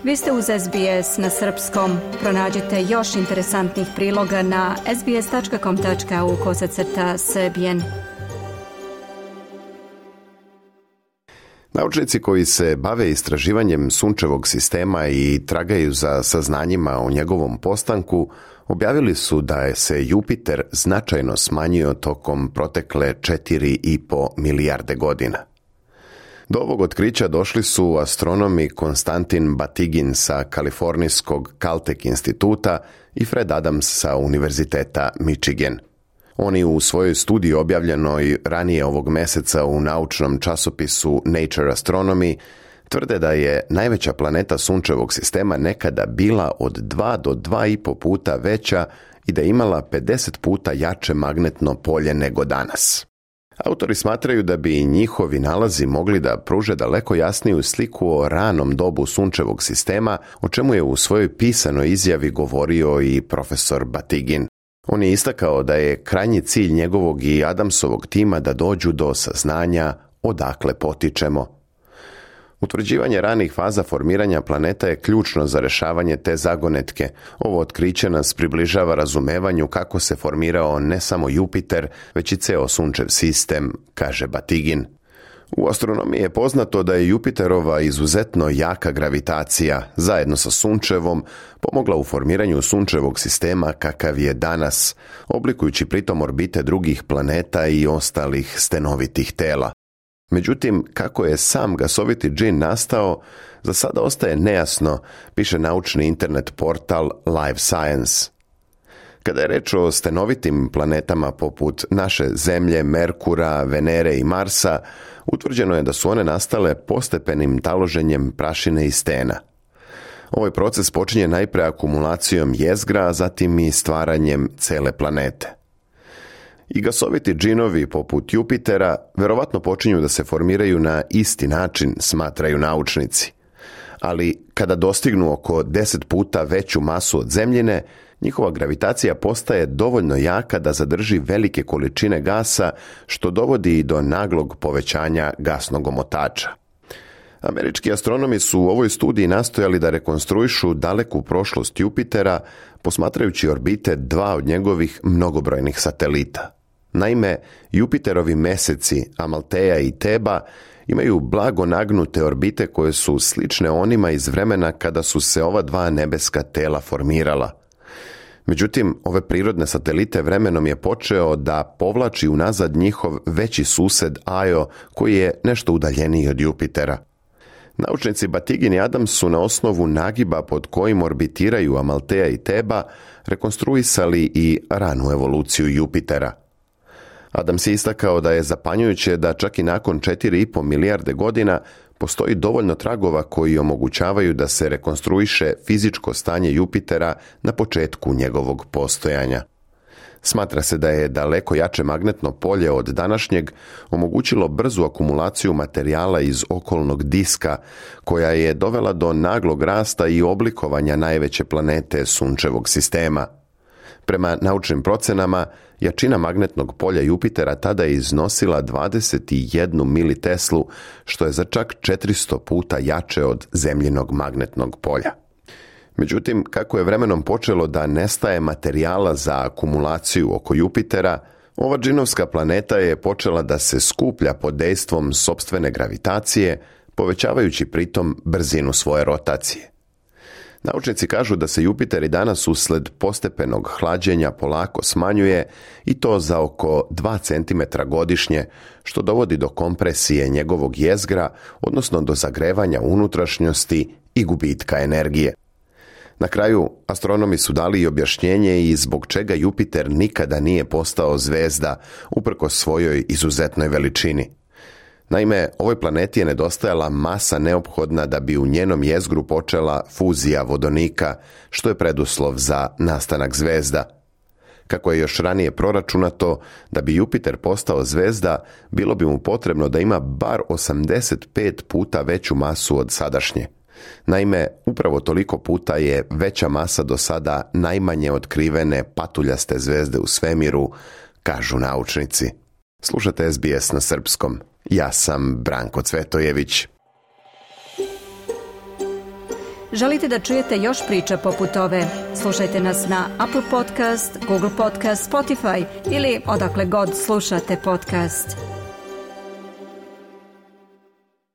Vi ste uz SBS na srpskom. Pronađite još interesantnih priloga na sbs.com.au/srbijen. Naučnici koji se bave istraživanjem sunčevog sistema i tragaju za saznanjima o njegovom postanku, objavili su da je se Jupiter značajno smanjio tokom protekle 4,5 milijarde godina. Do ovog otkrića došli su astronomi Konstantin Batygin sa kalifornijskog Caltech instituta i Fred Adams sa Univerziteta Michigan. Oni u svojoj studiji objavljenoj ranije ovog meseca u naučnom časopisu Nature Astronomy tvrde da je najveća planeta sunčevog sistema nekada bila od 2 do 2,5 puta veća i da je imala 50 puta jače magnetno polje nego danas. Autori smatraju da bi njihovi nalazi mogli da pruže daleko jasniju sliku o ranom dobu sunčevog sistema, o čemu je u svojoj pisanoj izjavi govorio i profesor Batygin. On je istakao da je krajnji cilj njegovog i Adamsovog tima da dođu do saznanja odakle potičemo. Utvrđivanje ranih faza formiranja planeta je ključno za rešavanje te zagonetke. Ovo otkriće nas približava razumevanju kako se formirao ne samo Jupiter, već i ceo sunčev sistem, kaže Batygin. U astronomiji je poznato da je Jupiterova izuzetno jaka gravitacija, zajedno sa sunčevom, pomogla u formiranju sunčevog sistema kakav je danas, oblikujući pritom orbite drugih planeta i ostalih stenovitih tela. Međutim, kako je sam gasoviti džin nastao, za sada ostaje nejasno, piše naučni internet portal Live Science. Kada je reč o stenovitim planetama poput naše Zemlje, Merkura, Venere i Marsa, utvrđeno je da su one nastale postepenim taloženjem prašine i stena. Ovaj proces počinje najpre akumulacijom jezgra, a zatim i stvaranjem cele planete. I gasoviti džinovi poput Jupitera verovatno počinju da se formiraju na isti način, smatraju naučnici. Ali kada dostignu oko 10 puta veću masu od Zemljine, njihova gravitacija postaje dovoljno jaka da zadrži velike količine gasa, što dovodi i do naglog povećanja gasnog omotača. Američki astronomi su u ovoj studiji nastojali da rekonstruišu daleku prošlost Jupitera, posmatrajući orbite 2 od njegovih mnogobrojnih satelita. Naime, Jupiterovi meseci, Amalteja i Teba, imaju blago nagnute orbite koje su slične onima iz vremena kada su se ova 2 nebeska tela formirala. Međutim, ove prirodne satelite vremenom je počeo da povlači unazad njihov veći sused Io, koji je nešto udaljeniji od Jupitera. Naučnici Batygin i Adams su na osnovu nagiba pod kojim orbitiraju Amalteja i Teba rekonstruisali i ranu evoluciju Jupitera. Adams je istakao da je zapanjujuće da čak i nakon 4,5 milijarde godina postoji dovoljno tragova koji omogućavaju da se rekonstruiše fizičko stanje Jupitera na početku njegovog postojanja. Smatra se da je daleko jače magnetno polje od današnjeg omogućilo brzu akumulaciju materijala iz okolnog diska, koja je dovela do naglog rasta i oblikovanja najveće planete sunčevog sistema. Prema naučnim procenama, jačina magnetnog polja Jupitera tada je iznosila 21 militeslu, što je za čak 400 puta jače od Zemljinog magnetnog polja. Međutim, kako je vremenom počelo da nestaje materijala za akumulaciju oko Jupitera, ova džinovska planeta je počela da se skuplja pod dejstvom sopstvene gravitacije, povećavajući pritom brzinu svoje rotacije. Naučnici kažu da se Jupiter i danas usled postepenog hlađenja polako smanjuje i to za oko 2 cm godišnje, što dovodi do kompresije njegovog jezgra, odnosno do zagrevanja unutrašnjosti i gubitka energije. Na kraju, astronomi su dali i objašnjenje i zbog čega Jupiter nikada nije postao zvezda, uprkos svojoj izuzetnoj veličini. Naime, ovoj planeti je nedostajala masa neophodna da bi u njenom jezgru počela fuzija vodonika, što je preduslov za nastanak zvezda. Kako je još ranije proračunato, da bi Jupiter postao zvezda, bilo bi mu potrebno da ima bar 85 puta veću masu od sadašnje. Naime, upravo toliko puta je veća masa do sada najmanje otkrivene patuljaste zvezde u svemiru, kažu naučnici. Slušate SBS na srpskom. Ja sam Branko Cvetojević. Želite da čujete još priča poput ove? Slušajte nas na Apple Podcast, Google Podcast, Spotify ili odakle god slušate podcast.